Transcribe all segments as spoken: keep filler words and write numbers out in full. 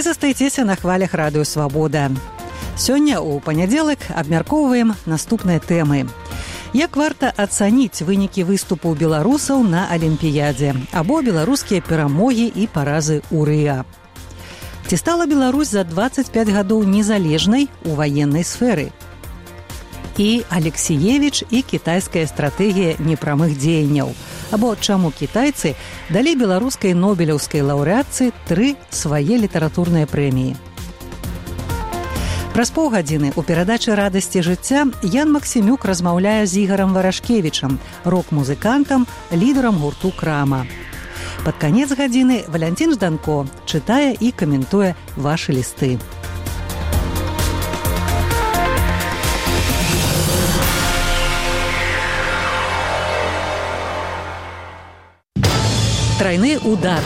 Вы застаецеся на хвалях радыё «Свабода». Сёння ў панядзелак абмяркоўваем наступныя тэмы. Як варта ацаніць вынікі выступу беларусаў на Алімпіядзе або беларускія перамогі і паразы ў Рыа? Ці стала Беларусь за дваццаць пяць гадоў незалежнай у ваеннай сферы? І Алексіевіч і кітайская стратэгія непрамых дзеянняў. Або чаму кітайцы далі беларускай нобелеўскай лаўрэатцы тры свае літаратурныя прэміі. Праз паўгадзіны ў перадачы «Радасці жыцця» Ян Максімюк размаўляе з Ігорам Варашкевічам, рок-музыкантам, лідарам гурту «Крама». Пад канец гадзіны Валянцін Жданко чытае і каментуе вашы лісты. Трайны удар.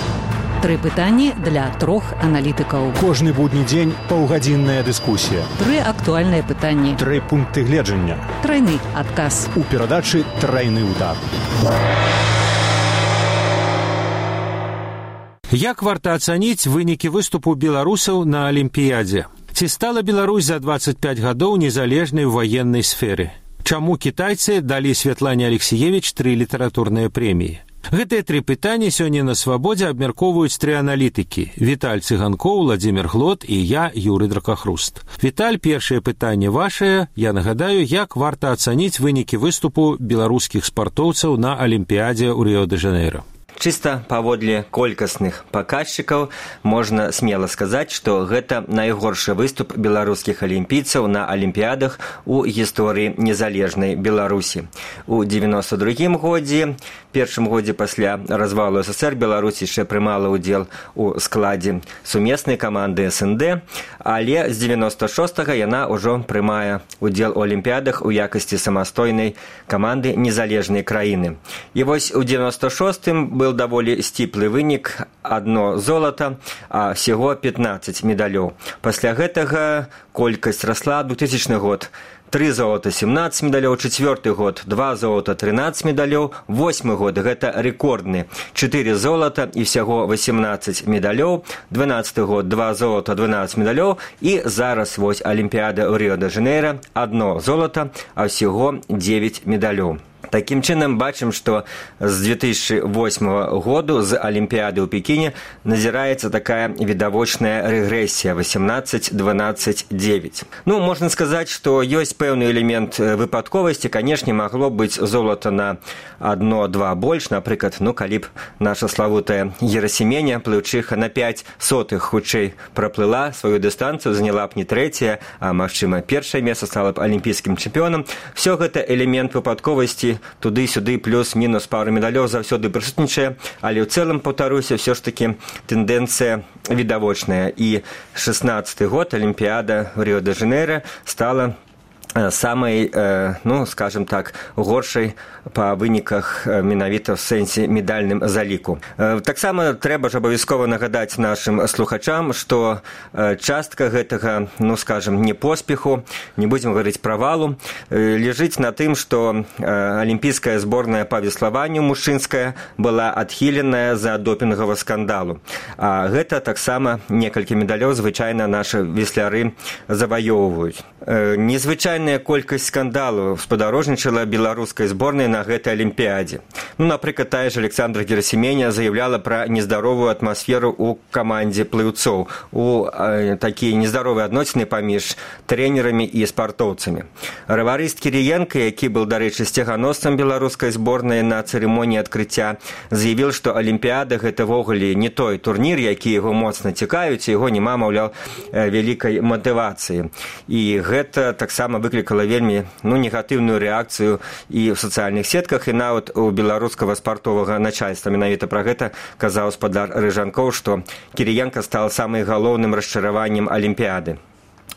Тры пытанні для трох аналітыкаў. Кожны будні дзень паўгадзінная дыскусія. Тры актуальныя пытанні. Тры пункты гледжання. Трайны адказ. У перадачы «Трайны удар». Як варта ацаніць вынікі выступу беларусаў на Алімпіядзе? Ці стала Беларусь за дваццаць пяць гадоў незалежнай у ваеннай сферы? Чаму кітайцы далі Святлане Алексіевіч тры літаратурныя прэміі? Гэтыя тры пытанні сёння на «Свабодзе» абмяркоўваюць тры аналітыкі. Віталь Цыганкоў, Владзімір Глот і я, Юрый Дракахруст. Віталь, першае пытанне вашае. Я нагадаю, як варта ацаніць вынікі выступу беларускіх спартоўцаў на Алімпіядзе ў Рыо-дэ-Жанейра? Чыста паводле колькасных паказчыкаў можна смела сказаць, што гэта найгоршы выступ беларускіх алімпійцаў на алімпіядах у гісторыі незалежнай Беларусі. У дзевяноста другім годзе, першым годзе пасля развалу СССР, Беларусь яшчэ прымала ўдзел у складзе сумеснай каманды эс эн дэ, але з дзевяноста шостага яна ўжо прымае ўдзел у алімпіядах у якасці самастойнай каманды незалежнай краіны. І вось у дзевяноста шостым быў даволі сціплы вынік, адно золата, а всего пятнаццаць медалёў. Пасля гэтага колькасць расла. Двухтысячны год тры золата, семнаццаць медалёў, чацвёрты год два золата, трынаццаць медалёў, восьмы год гэта рэкордны, чатыры золата і всяго восемнаццаць медалёў, дванаццаты год два золата, дванаццаць медалёў і зараз вось Алімпіяда ў Рыо-дэ-Жанейра, адно золата, а всяго дзевяць медалёў. Такім чынам бачым, што з две тысячы восьмага году з Алімпіяды ў Пекіне назіраецца такая відавочная рэгрэсія восемнаццаць дванаццаць дзевяць. Ну, можна сказаць, што ёсць пэўны элемент выпадковасці. Канешне, магло быць золата на адно-два больш. Напрыклад, ну, калі б наша славутая Герасіменя, плыўчыха на пяць сотых хутчэй праплыла сваю дыстанцыю, заняла б не трэцяе, а, магчыма, першае месца, стала б алімпійскім чэмпіёнам. Всё гэта элемент выпадковасці, туды-сюды плюс-мінус пару медалёў заўсёды прысутнічае, але ў цэлым, паўтаруся, ўсё ж такі тэндэнцыя відавочная. І шэснаццаты год Алімпіяда ў Рыо-дэ-Жанейра стала самай, ну, скажем так, горшай па выніках менавіта в сэнсе медальным заліку. Таксама трэба ж абавязкова нагадаць нашым слухачам, што частка гэтага, ну, скажем, не поспеху, не будзем гаварыць правалу, ляжыць на тым, што алімпійская зборная па веславанню мужчынская была адхіленая за допінгавы скандалу. А гэта таксама некалькі медалёў звычайна нашы весляры заваёўваюць. Незвычайная колькасць скандалаў спадарожнічала беларускай зборнай на гэтай алімпіядзе. Ну, напрыклад, тая ж Александра Герасіменя заяўляла пра нездаровую атмасферу ў камандзе плыўцоў, у э, такія нездаровыя адносіны паміж трэнерамі і спартоўцамі. Раварыст Кіріенка, які быў, дарэчы, сцяганосцам беларускай зборнай на цырымоніі адкрыцця, заявіў, што алімпіяда гэта ввогуле не той турнір, які яго моцна цікавіць, яго няма, маўляў, вялікай матывацыі. І гэта таксама выклікала вельмі, ну, негатыўную рэакцыю і ў сацыяльных сетках, і нават у беларускага спартовага начальства. Менавіта пра гэта казаў спадар Рыжанкоў, што Кіріенка стал самым галоўным расчараваннем алімпіяды.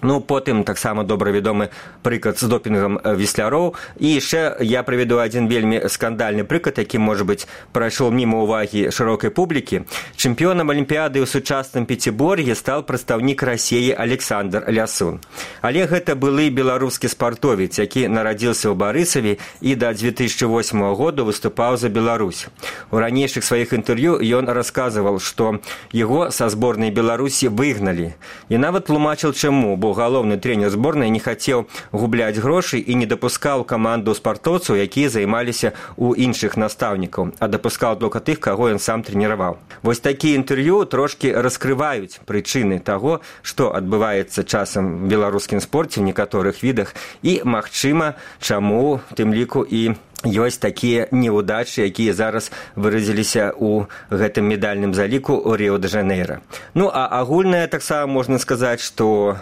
Ну, потым таксама добра вядомы прыклад з допінгам весляроў. І яшчэ я прыведу адзін вельмі скандальны прыклад, які, можа быць, прайшоў міма ўвагі шырокай публікі. Чэмпіёнам Алімпіяды ў сучасным Пяцібор'і стаў прадстаўнік Расіі Александр Лясун. Але гэта былы беларускі спартовец, які нарадзіўся ў Барысаве і да дзве тысячы восьмага году выступаў за Беларусь. У ранейшых сваіх інтэрв'ю ён расказваў, што яго са зборнай Беларусі выгналі. І нават тлумачыў, чаму, бо галоўны трэнер зборнай не хацеў губляць грошы і не дапускаў каманду спартоўцаў, якія займаліся ў іншых настаўнікаў, а дапускаў толькі тых, каго ён сам трэніраваў. Вось такія інтэрв'ю трошкі раскрываюць прычыны таго, што адбываецца часам в беларускім спорце ў некаторых відах і, магчыма, чаму, тым ліку, і ёсць такія неўдачы, якія зараз выразіліся ў гэтым медальным заліку ў Ріо-де-Жанейра. Ну, а агульнае таксама можна сказаць, што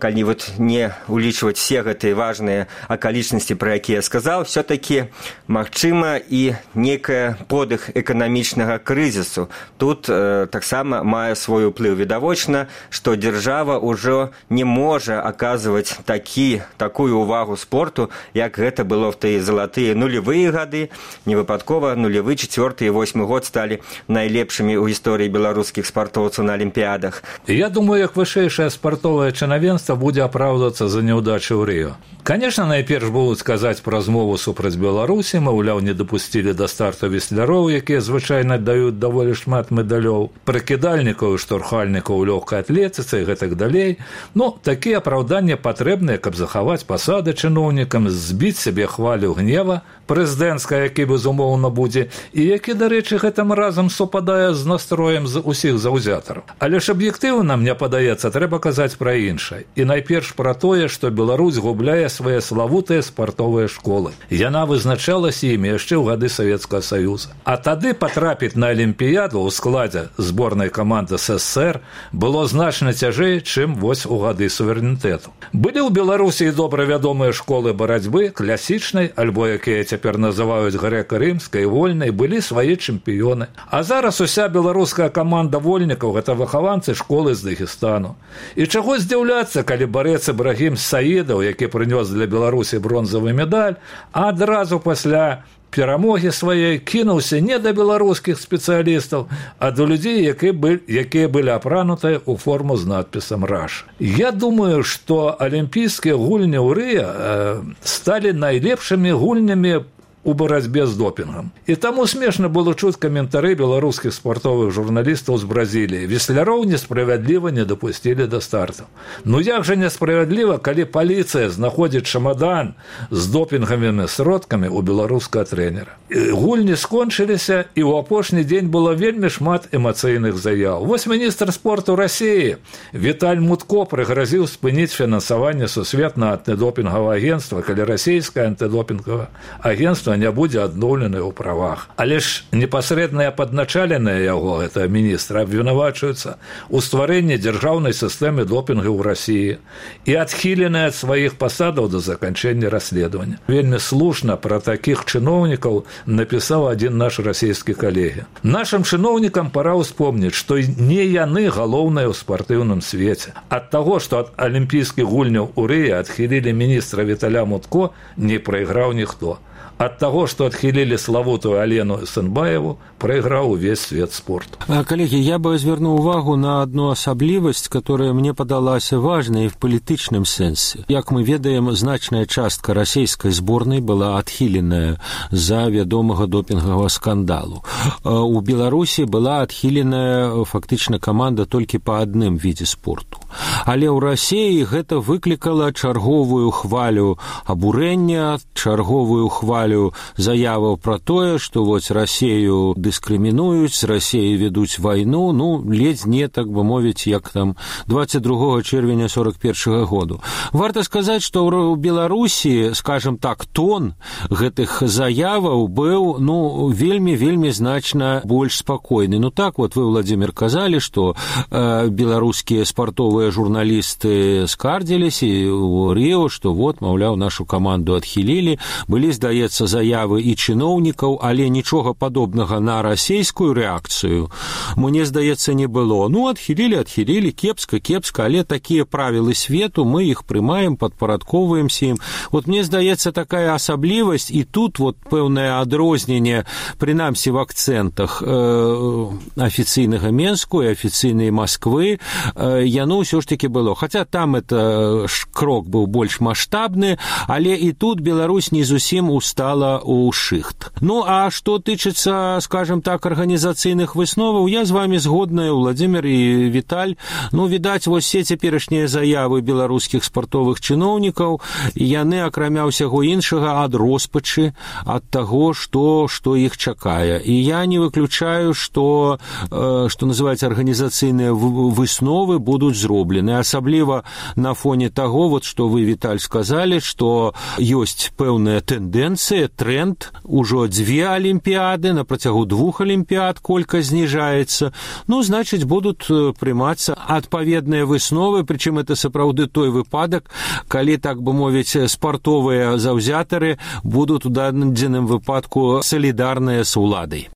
калі вот не улічваць все гэтыя важныя акалічнасці, пра якія я сказаў, все-таки магчыма і некая подых эканамічнага крызісу. Тут э, таксама мае свой уплыў. Відавочна, што дзяржава ўжо не можа аказваць такі, такую ўвагу спорту, як гэта было в тыя залатыя нулевыя гады. Невыпадкова нулевы, чацвёрты і восьмы год сталі найлепшымі ў гісторыі беларускіх спартоўцаў на алімпіядах. Я думаю, як вышэйшае спартовае чынавенства будзе апраўдвацца за няўдачы ў Рыё. Конечно, найперш будуць казаць пра змову супраць Беларусі, маўляў, не дапусцілі да старту весляроў, якія звычайна даюць даволі шмат медалёў, прыкідальнікаў і штурхальнікаў у лёгкай атлетыцы і гэтак далей. Ну, такія апраўданні патрэбныя, каб захаваць пасады чыноўнікам, збіць сябе хвалю гнева прэзідэнцкая, які, безумоўна, будзе, і які, дарэчы, гэтым разам супадае з настроем з усіх заўзятараў. Але ж аб'ектыўна, мне падаецца, трэба казаць пра іншае. І найперш пра тое, што Беларусь губляе свае славутыя спартовыя школы. Яна вызначалася імі яшчэ ў гады Савецкага Саюза. А тады патрапіць на алімпіяду ў складзе зборнай каманды СССР было значна цяжэй, чым вось у гады суверэнітэту. Былі ў Беларусі і добра вядомыя школы барацьбы, класічнай, альбо якія цяпер называюць грэка-рымскай, вольнай, былі свае чэмпіёны. А зараз уся беларуская каманда вольнікаў – гэта выхаванцы школы з Дагестану. І чаго здзіўляцца, калі барэц Ібрагім Саідаў, які прынёс для Беларусі бронзавы медаль, а адразу пасля перамогі сваёй кінуўся не да беларускіх спецыялістаў, а да людзей, якія былі, якія былі апранутыя ў форму з надпісам «Раша». Я думаю, што алімпійскія гульні ў Рыё э, сталі найлепшымі гульнямі у барацьбе з допінгам. І таму смешна было чуць каментары беларускіх спартовых журналістаў з Бразіліі. Весляроў несправядліва не дапусцілі да старту. Ну як жа несправядліва, калі паліцыя знаходзіць чамадан з допінгавымі сродкамі ў беларускага трэнера. Гульні скончыліся, і ў апошні дзень было вельмі шмат эмацыйных заяў. Вось міністр спорту Расіі Віталь Мутко прыгразіў спыніць фінансаванне сусветнага антыдопінгавага агентства, калі расійскае антыдопінгавае агентства не будзе адноўлены ў правах. Але ж непасрэдныя падначаленыя яго, гэта міністра, абвінавачваюцца ў стварэнні дзяржаўнай сістэмы допінгу ў Расіі і адхіленыя ад сваіх пасадаў да заканчэння расследавання. Вельмі слушна пра такіх чыноўнікаў напісаў адзін наш расійскі калегі. Нашым чыноўнікам пара ўспомніць, што не яны галоўныя ў спартыўным свеце. Ад таго, што ад алімпійскіх гульняў у Рыё адхілілі міністра Віталя Мутко, не прайграў ніхто. Ад таго, што адхілілі славутую Алену Сэнбаеву, прайграў увесь свет спорту. Коллеги, я бы звернуў увагу на одну асаблівасць, которая мне падалася важнай в палітычным сэнсе. Як мы ведаем, значная частка расійскай зборнай была адхіленая за вядомага допінгавага скандалу. У Беларусі была адхіленая фактычна каманда толькі па адным відзе спорту. Але ў Расіі гэта выклікала чарговую хвалю абурэння, чарговую хвалю заяваў пра тое, што вось Расію дыскрымінуюць, з Расіяй ведуць вайну, ну, ледзь не, так бы мовіць, як там двадцать другого чэрвеня сорок першага году. Варта сказаць, што ў Беларусі, скажем так, тон гэтых заяваў быў, ну, вельмі-вельмі значна больш спакойны. Ну так, вот вы, Владимир, казалі, што э, беларускія спартовыя журналісты скардзіліся ў Рыё, што вот, маўляў, нашу каманду адхілілі. Былі, здаецца, з'яўляцца заявы і чыноўнікаў, але нічога падобнага на расійскую рэакцыю, мне здаецца, не было. Ну, адхілілі, адхілілі, кепска, кепска, але такія правілы свету, мы іх прымаем, падпарадковваемся ім. Вот мне здаецца, такая асаблівасць, і тут вот пэўнае адрозненне, прынамсі в акцэнтах э, афіцыйнага Менску і афіцыйнай Масквы, э, яно ўсё ж таки было. Хаця там это крок быў больш маштабны, але і тут Беларусь не зусім устала ў шыхт. Ну, а што тычыцца, скажем так, арганізацыйных высноваў, я з вами згодная, Владимир і Віталь. Ну, відаць, вось все цяперашнія заявы беларускіх спартовых чыноўнікаў, яны, акрамя ўсяго іншага, ад роспачы, ад таго, што, што іх чакае. І я не выключаю, што, э, што называецца, арганізацыйныя высновы будуць зроблены. Асабліва на фоне таго, вот, што вы, Віталь, сказалі, што ёсць пэўная тэндэнцыя, тренд, ужо дзве алімпіяды, на працягу двух алімпіяд колькасць зніжаецца. Ну, значыць, будуць прымацца адпаведныя высновы, прычым это сапраўды той выпадак, калі, так бы мовіць, спартовыя заўзятары будуць у дадзеным выпадку салідарныя з уладай.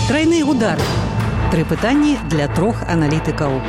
Трайны удар. Тры пытанні для трох аналітыкаў.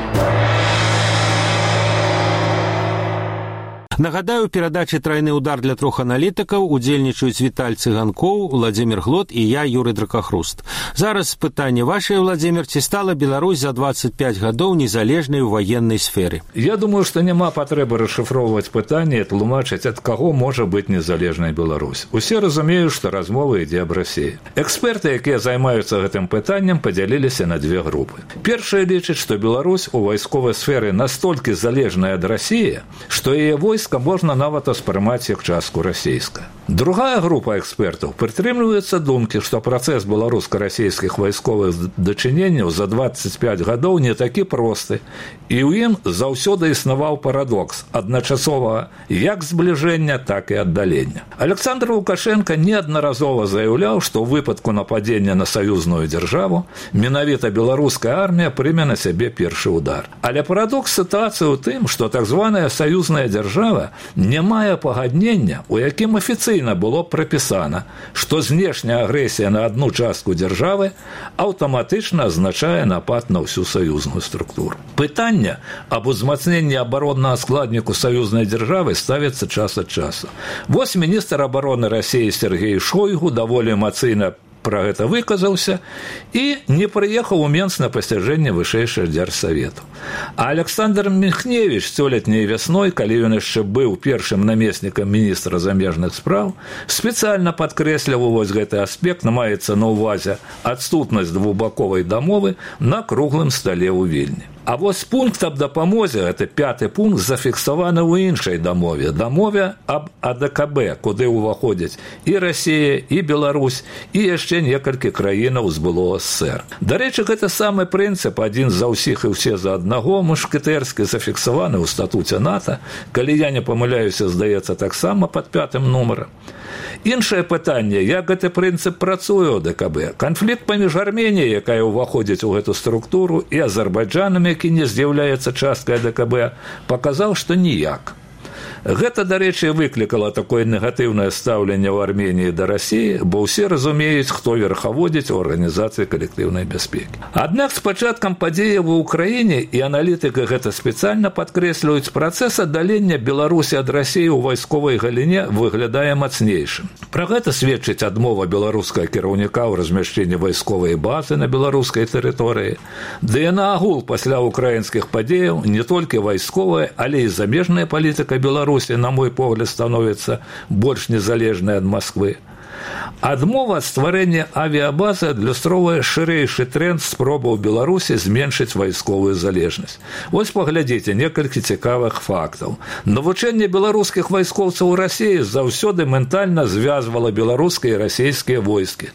Нагадаю, у перадачы «Трайны удар» для трох аналітыкаў удзельнічаюць Віталь Цыганкоў, Владимир Глот і я, Юрый Дракахруст. Зараз пытанне вашае, Владимир, ці стала Беларусь за двадцать пять гадоў незалежнай у ваеннай сферы? Я думаю, што няма патрэбы расшыфроўваць пытанне і тлумачыць, ад каго можа быць незалежнай Беларусь. Усе разумеюць, што размова ідзе аб Расіі. Эксперты, якія займаюцца гэтым пытаннем, падзяліліся на две групы. Першая лічыць, што Беларусь у вайсковай сферы настолькі залежная ад Расіі, што яе войска можна нават успрымаць як частку расійская. Другая група экспертаў прытрымліваецца думкі, што працэс беларуска-расійскіх вайсковых дачыненняў за двадцать пять гадоў не такі просты, і ў ім заўсёды існаваў парадокс адначасова як збліжэння, так і аддалення. Александр Лукашенко неаднаразова заяўляў, што ў выпадку нападзення на саюзную дзяржаву менавіта беларуская армія прыме на сябе першы удар. Але парадокс сітуацыі ў тым, што так званая саюзная дзяржава не мае пагаднення, у якім афіцыйна было прапісана, што знешняя агрэсія на адну частку дзяржавы аўтаматычна азначае напад на ўсю саюзную структуру. Пытанне аб узмацненні абароннага складніку саюзнай дзяржавы ставіцца час ад часу. Вось міністр абароны Расіі Сергей Шойгу даволі эмацыйна пра гэта выказаўся і не прыехаў у Менск на пасяджэнне вышэйшага дзяржсавету. А Александр Міхневіч сёлетняй вясной, калі ён яшчэ быў першым намеснікам міністра замежных спраў, спецыяльна падкрэсліў вось гэты аспект, маецца на ўвазе адсутнасць двухбаковай дамовы на круглым стале ў Вільні. А вось пункт аб дапамозе, гэта пяты пункт, зафіксаваны ў іншай дамове, дамове аб А Дэ Ка Бэ, куды ўваходзяць і Расія, і Беларусь, і яшчэ некалькі краінаў з былога эс эс эс эр. Дарэчы, гэта самы прынцып, адзін за ўсіх і ўсе за аднаго, мушкетэрскі, зафіксаваны ў статуце НАТО, калі я не памыляюся, здаецца, таксама пад пятым нумарам. Іншае пытанне, як гэты прынцып працуе ў Дэ Ка Бэ. Канфлікт паміж Арменіяй, якая ўваходзіць у гэту структуру, і Азербайджанам, які не з'яўляецца часткай Дэ Ка Бэ, паказаў, што ніяк. Гэта, дарэчы, выклікала такое негатыўнае стаўленне ў Арменіі да Расіі, бо ўсе разумеюць, хто верхаводзіць у арганізацыі калектыўнай бяспекі. Аднак з пачаткам падзеяў у Ўкраіне, і аналітыкі гэта спецыяльна падкрэсліваюць, працэс аддалення Беларусі ад Расіі ў вайсковай галіне выглядае мацнейшым. Пра гэта сведчыць адмова беларускага кіраўніка ў размяшчэнні вайсковай базы на беларускай тэрыторыі. Ды і наогул пасля украінскіх падзеяў не толькі вайсковая, але і замежная палітыка Беларусі, на мой погляд, становіцца больш незалежнай ад Масквы. Адмова ад стварэння авіябазы адлюстроўвае шырэйшы тренд спробаў Беларусі зменшыць вайсковую залежнасць. Вось паглядзіце некалькі цікавых фактаў. Навучэнне беларускіх вайскоўцаў у Расіі заўсёды ментальна звязвала беларускія і расійскія войскі.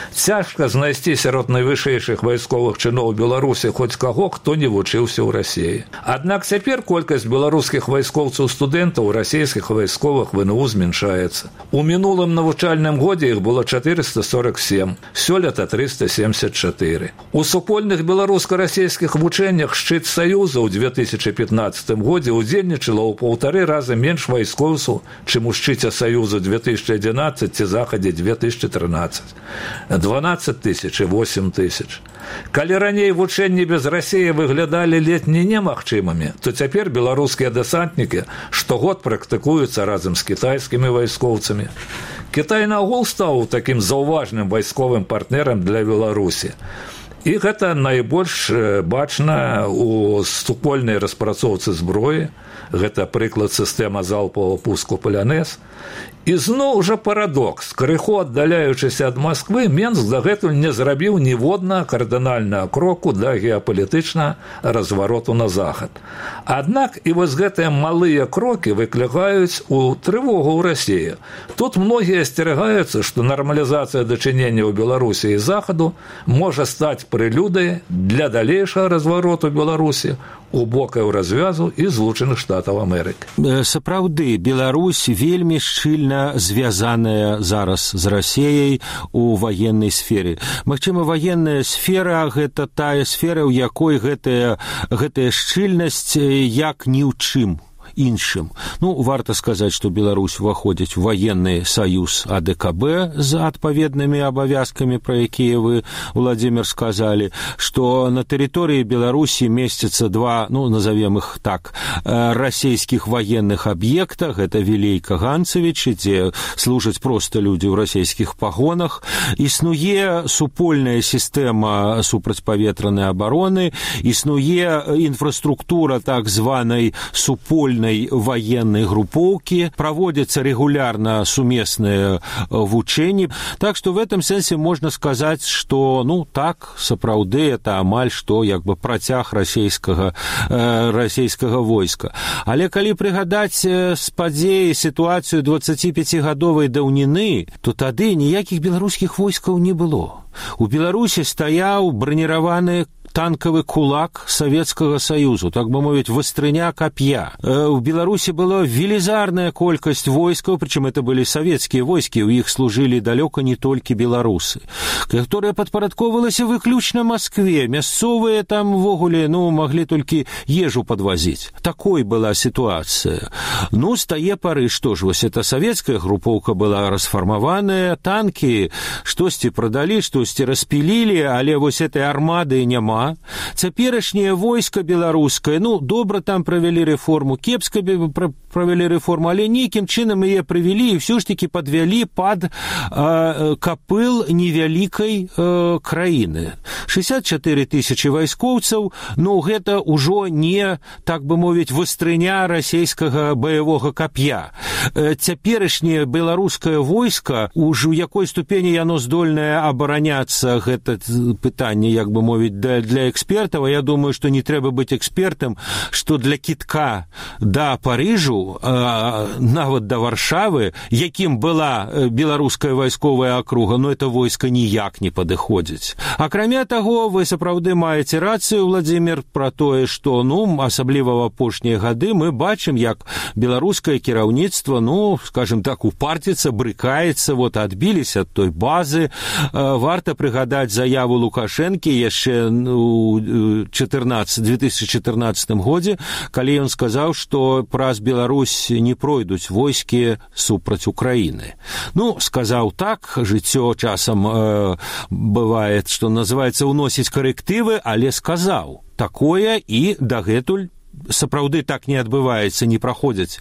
Цяжка знайсці сярод найвышэйшых вайсковых чыноў Беларусі хоць каго, хто не вучыўся ў Расіі. Аднак цяпер колькасць беларускіх вайскоўцаў-студэнтаў у расійскіх вайсковых вэ эн у змяншаецца. У мінулым навучальным годзе іх было чатырыста сорок сем, сёлета трыста семьдесят чатыры. У супольных беларуска-расійскіх вучэннях шчыт Саюза ў две тысячы пятнаццатым годзе удзельнічала ў паўтары раза менш вайскоўцаў, чым у шчыце Саюза две тысячи одиннадцать ці захадзе две тысячи тринадцать. дванаццаць тысяч і восемь тысяч. Калі раней вучэнні без Расіі выглядалі ледзь не немагчымымі, то цяпер беларускія дэсантнікі штогод практыкуюцца разам з кітайскімі вайскоўцамі. Кітай наогул стаў такім заўважным вайсковым партнерам для Беларусі. І гэта найбольш бачна ў супольнай распрацоўцы зброі. Гэта прыклад сістэма залпового пуску «Полянез». І зноў жа парадокс. Крыху аддаляючыся ад Масквы, Менск дагэтуль не зрабіў ніводнага кардынальнага кроку для геапалітычнага развароту на захад. Аднак і вось гэтыя малыя крокі выклікаюць у трывогу ў Расіі. Тут многія асцерагаюцца, што нармалізацыя дачынення ў Беларусі і захаду можа стаць прэлюдай для далейшага развароту Беларусі у бокаў развязу і Злучаных Штатаў Амерыкі. Сапраўды, Беларусь вельмі шчыльна звязаная зараз з Расіяй у ваеннай сферы. Магчыма, ваенная сфера – гэта тая сфера, у якой гэтая, гэтая шчыльнасць як ні ў чым іншым. Ну, варта сказаць, што Беларусь уваходзіць у ваенны саюз А Дэ Ка Бэ з адпаведнымі абавязкамі, пра якія вы, Владимир, сказалі, што на тэрыторыі Беларусі месцяцца два, ну, назовем іх так, расійскіх ваенных аб'екта, гэта Вілейка, Ганцевіч, дзе служаць проста людзі ў расійскіх пагонах. Існуе супольная сістэма супрацьпаветранай абароны, існуе інфраструктура так званай супольнай военной групповки, проводятся регулярно совместные вучения. Так что в этом сенсе можно сказать, что, ну, так, сапраўды, это амаль что, як бы, працяг расійскага, э, расійскага войска. Але калі прыгадаць з падзеі сітуацыю дваццаціпяцігадовай даўніны, то тады ніякіх беларускіх войскаў не было. У Беларусі стаяў браніраваны танковый кулак Советского Союзу, так бы мовить, вастрыня копья. В Беларуси была велизарная колькость войсков, причем это были советские войски, у них служили далеко не только белорусы, которые подпарадковывались выключно Москве. Мясцовые там в огуле, ну, могли только ежу подвозить. Такой была ситуация. Ну, с тае поры, что ж, вот эта советская групповка была расформованная, танки штосьці продали, штосьці распилили, але вот этой армады няма. Цяперашняе войска беларускае, ну, добра там правялі рэформу, кепска правялі рэформу, але нейкім чынам яе правялі і ўсё ж такі падвялі пад э, капыл невялікай э, краіны. шестьдесят четыре тысячи вайскоўцаў, ну, гэта ўжо не, так бы мовіць, вастрыня расійскага баявога кап'я. Э, цяперашняе беларускае войска, ўжо у якой ступені яно здольнае абараняцца, гэта пытанне, як бы мовіць, да для экспертов, я думаю, что не трэба быть экспертом, что для кітка до Парижу, э, нават до Варшавы, яким была беларуская вайсковая акруга, но это войска ніяк не падыходзіць. Акрамя таго, вы сапраўды маеце рацыю, Владимир, про тое, что, ну, асабліва в апошнія гады мы бачым, як беларускае кіраўніцтва, ну, скажем так, упарціцца, брыкаецца, вот адбіліся ад той базы. Э, варта прыгадаць заяву Лукашэнкі яшчэ у две тысячи четырнадцатым годзе, калі ён сказаў, што праз Беларусь не пройдуць войскі супраць Украіны. Ну, сказаў так, жыццё часам э, бывает, што называецца уносіць карэктывы, але сказаў такое і дагэтуль сапраўды так не адбываецца, не праходзяць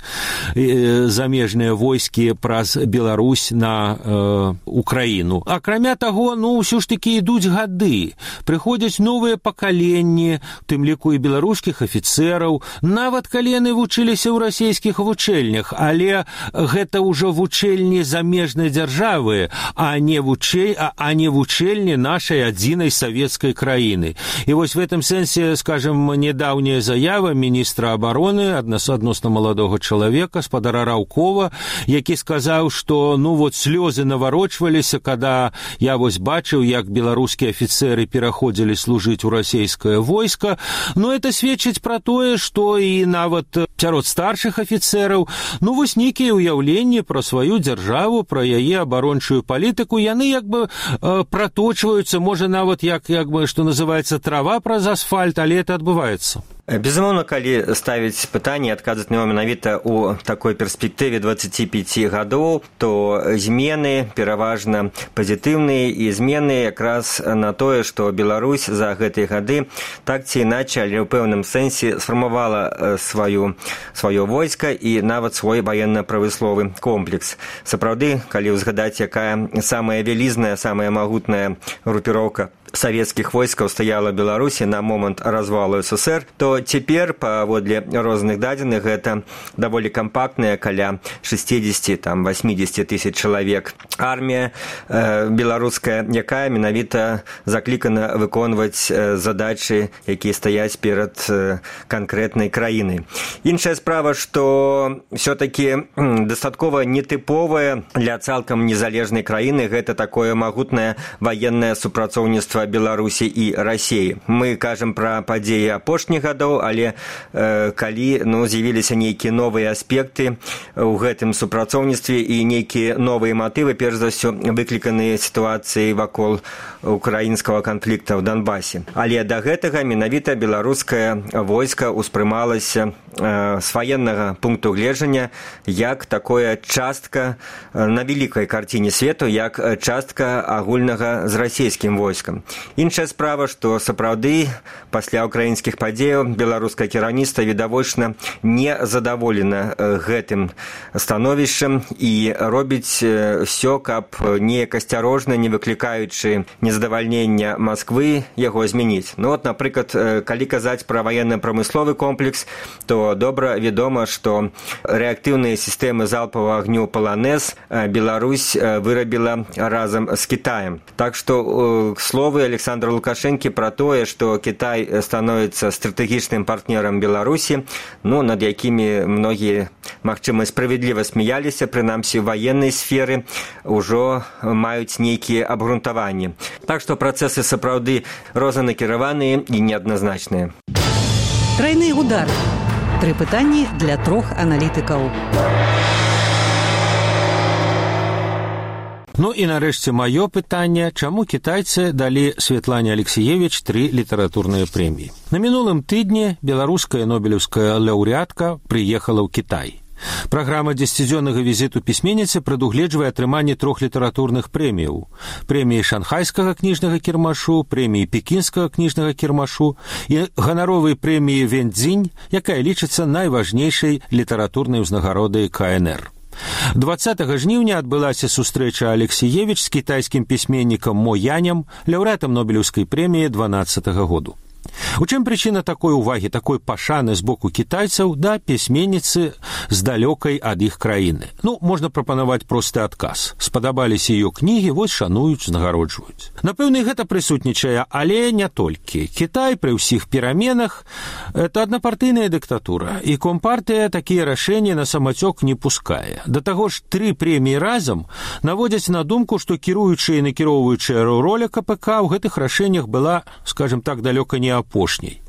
э, замежныя войскі праз Беларусь на э, Украіну. Акрамя таго, ну, ўсё ж такі ідуць гады, прыходзяць новыя пакаленні, тым ліку і беларускіх афіцэраў, нават калі яны вучыліся ў расійскіх вучэльнях, але гэта ўжо вучэльні замежнай дзяржавы, а не вучэль, а, а не вучэльні нашай адзінай савецкай краіны. І вось в этом сэнсе, скажем, недаўняя заява міністра абароны, адносна маладога чалавека, спадара Раўкова, які сказаў, што ну вот слёзы наварочваліся, када я вось бачыў, як беларускія афіцеры пераходзілі служыць у расійскае войска. Но это сведчыць пра тое, што і нават сярод старшых афіцераў, ну вось нейкія ўяўленні пра сваю дзяржаву, пра яе абарончую палітыку, яны як бы э, проточваюцца, можа нават як, як бы, што называецца, трава праз асфальт, але это адбываецца. Безумоўна, калі ставіць пытанне, адказваць на яго менавіта ў такой перспектыве дваццаці пяці гадоў, то змены пераважна пазітыўныя, і змены якраз на тое, што Беларусь за гэтыя гады так ці іначай, але ў пэўным сэнсе сфармавала сваю, сваё войска і нават свой ваенна-прамысловы комплекс. Сапраўды, калі ўзгадаць, якая самая вялізная, самая магутная групіроўка савецкіх войскаў стаяла Беларусі на момант развалу СССР, то цяпер, паводле розных дадзеных, гэта даволі кампактная, каля шэсцідзесят восемьдесят тысяч чалавек. Армія э, беларуская, якая менавіта заклікана выконваць э, задачы, якія стаяць перад э, канкрэтнай краінай. Іншая справа, што ўсё-такі дастаткова нетыповая для цалкам незалежнай краіны, гэта такое магутнае ваеннае супрацоўніцтва Беларусі і Расіі. Мы кажам пра падзеі апошніх гадоў, але э, калі ну, з'явіліся нейкія новыя аспекты ў гэтым супрацоўніцтве і нейкія новыя матывы, перш за ўсё выкліканыя сітуацыі вакол украінскага канфлікта ў Донбасе. Але да гэтага менавіта беларускае войска ўспрымалася э, з ваеннага пункту гледжання як такое частка э, на вялікай карціне свету, як частка агульнага з расійскім войскам. Іншая справа, што сапраўды пасля украінскіх падзеяў беларускае кіраўніцтва відавочна не задаволена гэтым становішчам і робіць ўсё, каб неяк асцярожна, не выклікаючы незадавальнення Масквы, яго змяніць. Ну от, напрыклад, калі казаць пра ваенна-прамысловы комплекс, то добра вядома, што рэактыўныя сістэмы залпавага агню «Паланез» Беларусь вырабіла разам з Кітаем. Так што, к слову, Александра Лукашенко про тое, што Кітай становіцца стратэгічным партнерам Беларусі, ну, над якімі многія, магчыма, справядліва смяяліся, прынамсі ў ваеннай сферы, ужо маюць нейкія абгрунтаванні. Так што працэсы сапраўды рознанакіраваныя і неадназначныя. Трайны удар. Тры пытанні для трох аналітыкаў. Ну і нарэшце маё пытанне, чаму кітайцы далі Светлане Алексіевіч тры літаратурныя прэміі. На мінулым тыдні беларуская нобелеўская лаўрэатка прыехала ў Кітай. Праграма дзесяцідзённага візіту пісьменніцы прадугледжвае атрыманне трох літаратурных прэміяў. Прэміі шанхайскага кніжнага кірмашу, прэміі пекінскага кніжнага кірмашу і ганаровай прэміі Вэньцзінь, якая лічыцца найважнейшай літаратурнай узнагародай ка эн эр. дваццатага жніўня адбылася сустрэча Алексіевіч з кітайскім пісьменнікам Мо Янем, лаўрэатам нобелеўскай прэміі дванаццатага году. У чым прычына такой увагі, такой пашаны з боку кітайцаў да пісьменніцы з далёкай ад іх краіны? Ну, можна прапанаваць просты адказ. Спадабаліся ее кнігі, вось шануюць, знагароджваюць. Напэўна, гэта прысутнічае, але не толькі. Кітай пры ўсіх пераменах – это аднапартыйная дыктатура, і компартыя такія рашэнні на самацёк не пускае. Да таго ж, тры прэміі разам наводзяць на думку, што кіруючая і накіроўваючая роля ка пэ ка ў гэтых рашэннях была, скажем так, далёка не апошняй.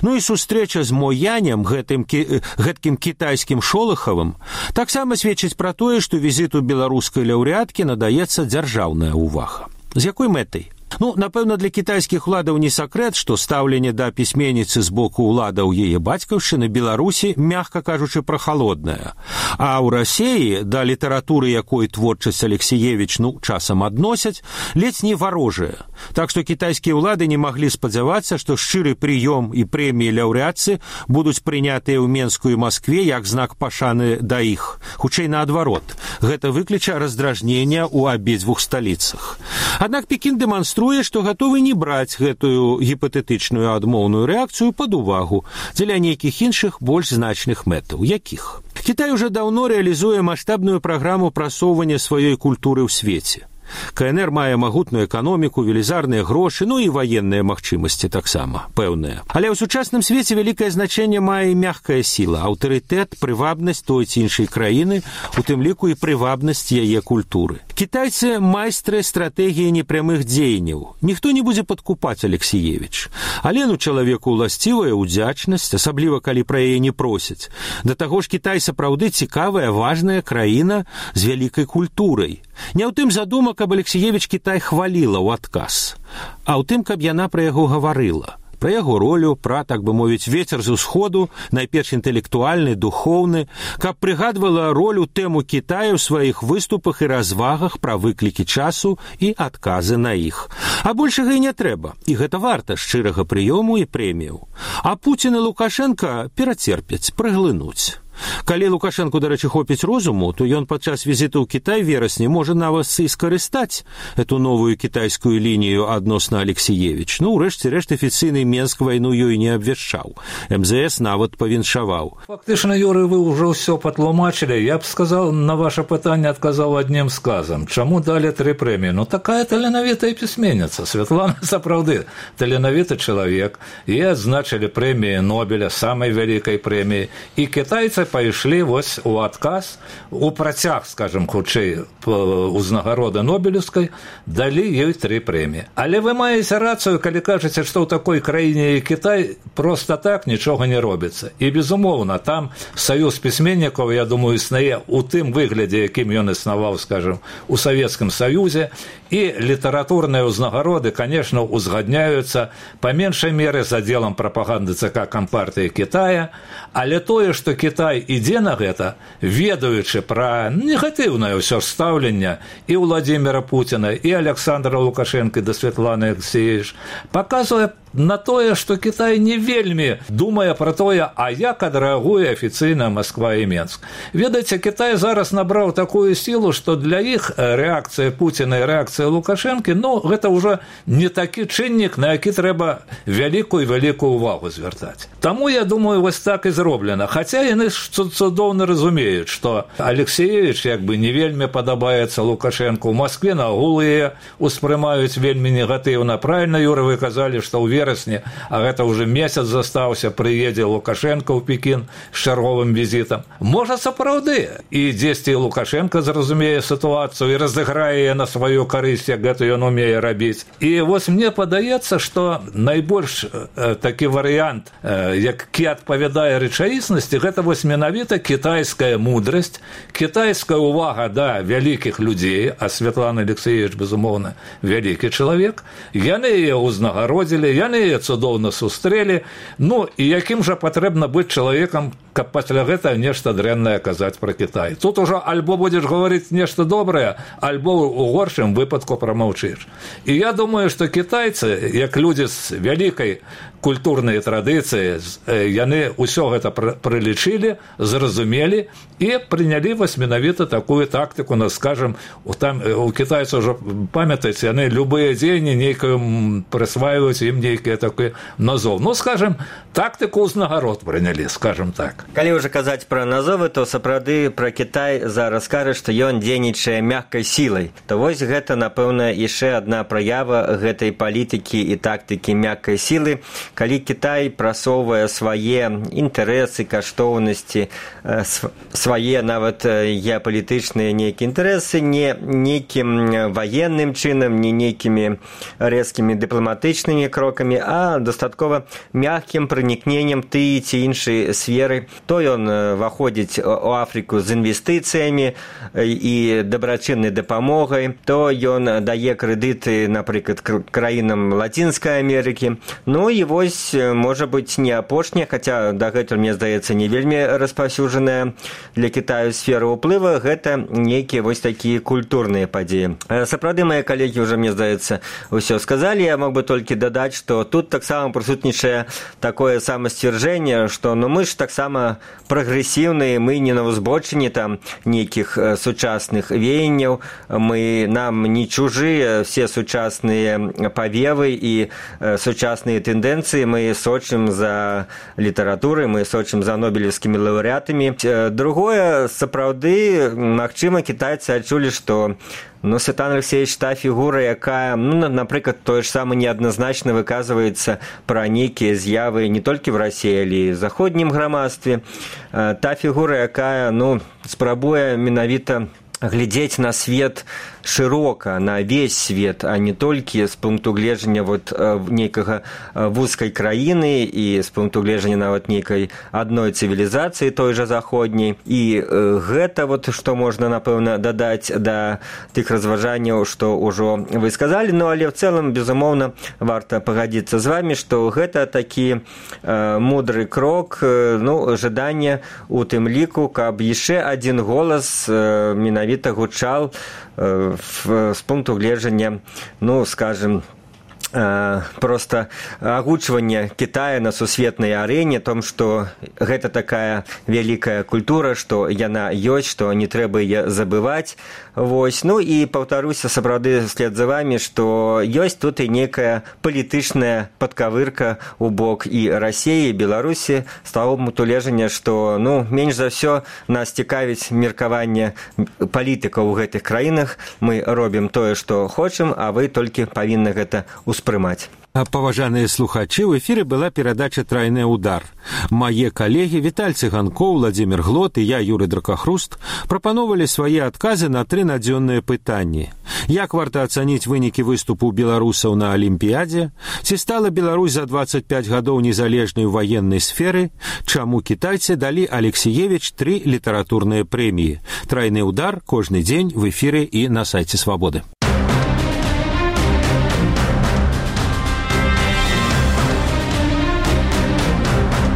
Ну і сустрэча з Мо Янем, гэтым, гэткім кітайскім Шолахавым, таксама сведчыць пра тое, што візіту беларускай лаўрэаткі надаецца дзяржаўная ўвага. З якой мэтай? Ну, напэўна, для кітайскіх уладаў не сакрэт, што стаўленне да пісьменніцы з боку ўладаў яе бацькаўшчыны Беларусі, мякка кажучы, прахалоднае. А ў Расіі да літаратуры, якой творчасць Алексіевіч, ну, часам адносяць, ледзь не варожая. Так што кітайскія ўлады не маглі спадзявацца, што шчыры прыём і прэміі лаўрэатцы будуць прынятыя ў Менску і Маскве як знак пашаны да іх. Хутчэй наадварот. Гэта выкліча раздражнення ў абедзвюх сталіцах. Аднак Пекін дэманструе, што гатовы не браць гэтую гіпатэтычную адмоўную рэакцыю пад увагу дзеля нейкіх іншых больш значных мэтаў. Якіх? Кітай уже даўно рэалізуе маштабную праграму прасоўвання сваёй культуры ў свеце. КНР мае магутную эканоміку, велізарныя грошы, ну і ваенныя магчымасці таксама, пэўныя. Але ў сучасным свеце вялікае значэнне мае мяккая сіла, аўтарытэт, прывабнасць той ці іншай краіны, у тым ліку і прывабнасць яе культуры. Кітайцы майстры стратэгіі непрямых дзеянняў. Ніхто не будзе падкупаць Алексіевіч. Але ну чалавеку ўласцівая ўдзячнасць, асабліва калі пра яе не просяць. Да таго ж Кітай сапраўды цікавая, важная краіна з вялікай культурай. Не ў тым задума, каб Алексіевіч Кітай хваліла ў адказ, а ў тым, каб яна пра яго гаварыла. Пра яго ролю, пра, так бы мовіць, вецер з усходу, найперш інтэлектуальны, духоўны, каб прыгадвала ролю тэму Кітая ў сваіх выступах і развагах пра выклікі часу і адказы на іх. А большага і не трэба, і гэта варта шчырага прыёму і прэміяў. А Пуцін і Лукашенка перацерпяць, праглынуць. Калі Лукашенку, дарэчы, хопіць розуму, то ён падчас візіту ў Кітай верасні можа нават і скарыстаць эту новую кітайскую лінію адносна Алексіевіч. Ну, урэшце рэшт афіцыйны Менск вайну ёй не абвяшчаў. эм зэ эс нават павіншаваў. Фактычна, Юрый, вы ўжо ўсё патлумачылі. Я б сказал, на ваше пытанне адказаў адным сказам. Чаму далі тры прэміі? Ну, такая таленавітая пісьменніца. Святлана сапраўды таленавіты чалавек. І адзначылі прэміі Нобеля, самай вялікай прэміі. І кітайцы пайшлі вось у адказ, у працяг, скажем, хутчэй, узнагароды Нобелевскай, далі ёй тры прэміі. Але вы маеце рацыю, калі кажаце, што ў такой краіне і Кітай проста так нічога не робіцца. І, безумоўна, там саюз пісьменнікаў, я думаю, існуе ў тым выглядзе, якім ён існаваў, скажем, у Савецкім Саюзе, і літаратурныя ўзнагароды, конечно, узгадняюцца па меншай меры за делам прапаганды ЦК Кампартыі Кітая, але тое, што Кітай ідзе на гэта, ведаючы пра негатыўнае ўсё ж стаўленне і Владзіміра Пуціна, і Александра Лукашенка, да Святланы Алексіевіч, паказвае на тое, што Кітай не вельмі думае пра тое, а як адрэагуе афіцыйна Масква і Менск. Ведаеце, Кітай зараз набраў такую сілу, што для іх рэакцыя Пуціна і рэакцыя Лукашэнкі, ну, гэта ўжо не такі чыннік, на які трэба вялікую-вялікую ўвагу звяртаць. Таму, я думаю, вось так і зроблена. Хаця яны цудоўна разумеюць, што Алексіевіч як бы не вельмі падабаецца Лукашэнку. У Маскве нагул яе успрымаюць вельмі негатыўна. Правільна, Юра, вы казалі, што ў верасні, а гэта ўжо месяц застаўся, прыедзе Лукашенко ў Пекін з чарговым візітам. Можа, сапраўды, і дзесьці Лукашенко зразумее сітуацыю і разыграе на сваю карысць, як гэта ён умее рабіць. І вось мне падаецца, што найбольш э, такі варыянт, э, які адпавядае рэчаіснасці, гэта вось менавіта кітайская мудрасць, кітайская ўвага да вялікіх людзей, а Святлана Алексіевіч, безумоўна, вялікі чалавек. Яны яе ўзнагародзілі, яны яе цудоўна сустрэлі. Ну, і якім жа патрэбна быць чалавекам, каб пасля гэта нешта дрэннае казаць пра Кітай. Тут ужо альбо будзеш гаварыць нешта добрае, альбо у горшым выпадку прамаўчыш. І я думаю, што кітайцы, як людзі з вялікай культурнай традыцыі, яны ўсё гэта прылічылі, зразумелі і прынялі вось менавіта такую тактыку, ну, скажем, там у кітайцаў ўжо, памятаеце, яны любыя дзеянні нейкую прысваиваюць ім нейкія такія назов. Ну, скажем, тактыку ўзнагарод прынялі, скажем так. Калі ўжо казаць пра назовы, то сапраўды пра Кітай зараз кажа, што ён дзейнічае мяккай сілай. То вось гэта, напэўна, яшчэ адна праява гэтай палітыкі і тактыкі мяккай сілы, калі Кітай прасоўвае свае інтарэсы, каштоўнасці, свае нават геапалітычныя нейкія інтарэсы не нейкім ваенным чынам, не нейкімі рэзкімі дыпламатычнымі крокамі, а дастаткова мяккім пранікненнем ты ці іншай сферы. То ён ваходзіць у Афрыку з інвестыцыямі і дабрачыннай дапамогай, то ён дае крэдыты, напрыклад, краінам Лацінскай Амерыкі. Ну і вось, можа быць, не апошняя, хаця дагэтуль, мне здаецца, не вельмі распаўсюджаная для Кітаю сфера ўплыва, гэта нейкія вось такія культурныя падзеі. Сапраўды, мае калегі ўжо, мне здаецца, ўсё сказалі. Я мог бы толькі дадаць, што тут таксама прысутнічае такое самасцвярджэнне, што ну, мы ж таксама прагрэсіўныя, мы не на ўзбочыне там нейкіх сучасных веянняў, мы, нам не чужыя все сучасныя павевы і сучасныя тэндэнцыі, мы сочым за літаратурай, мы сочым за нобелевскімі лаўрэатамі. Другое, сапраўды, магчыма, кітайцы адчулі, што Ну, Святлана Алексеевич та фігура, яка, ну, наприклад, той ж саме неадназначна выказваецца пра нейкія з'явы не толькі в Расіі, але і в заходнім грамадстве. Та фігура, якая, ну, спрабуе менавіта глядзець на свет шырока, на весь свет, а не толькі з пункту гледжання вот нейкага вузкай краіны і з пункту гледжання нават нейкай адной цывілізацыі той жа заходняй. І гэта вот што можна, напэўна, дадаць да тых разважанняў, што ўжо вы сказалі. Ну, але в цэлым, безумоўна, варта пагадзіцца з вами, што гэта такі э, мудры крок, э, ну, жаданне у тым ліку, каб яшчэ адзін голас э, менавіта гучаў э, з пункту гледжання, ну, скажем, просто агучванне Китая на сусветнай арэне, том, што гэта такая вялікая культура, што яна ёсць, што не трэба яе забываць. Вось. Ну і паўтаруся сапраўды след за вами, што ёсць тут і некая палітычная падкавырка ў бок і Расіі, і Беларусі, з таго пункту гледжання, што, ну, менш за ўсё нас цікавіць меркаванне палітыкаў у гэтых краінах. Мы робім тое, што хочам, а вы толькі павінны гэта успрымаць. Паважаныя слухачы, ў эфіры была перадача «Трайны удар». Мае калегі Віталь Цыганкоў, Владзімір Глот і я, Юрый Дракахруст, прапановалі свае адказы на тры надзённыя пытанні. Як варта ацаніць вынікі выступу беларусаў на Алімпіядзе? Ці стала Беларусь за дваццаць пяць гадоў незалежнай у ваеннай сферы? Чаму кітайцы далі Алексіевіч тры літаратурныя прэміі? «Трайны удар» кожны дзень в эфіры і на сайце Свабоды.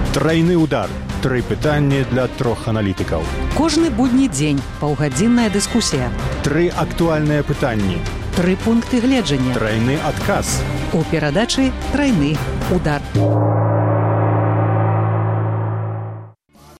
Трайны удар. Тры пытанні для трох аналітыкаў. Кожны будні дзень паўгадзінная дыскусія. Тры актуальныя пытанні. Тры пункты гледжання. Трайны адказ. У перадачы «Трайны удар».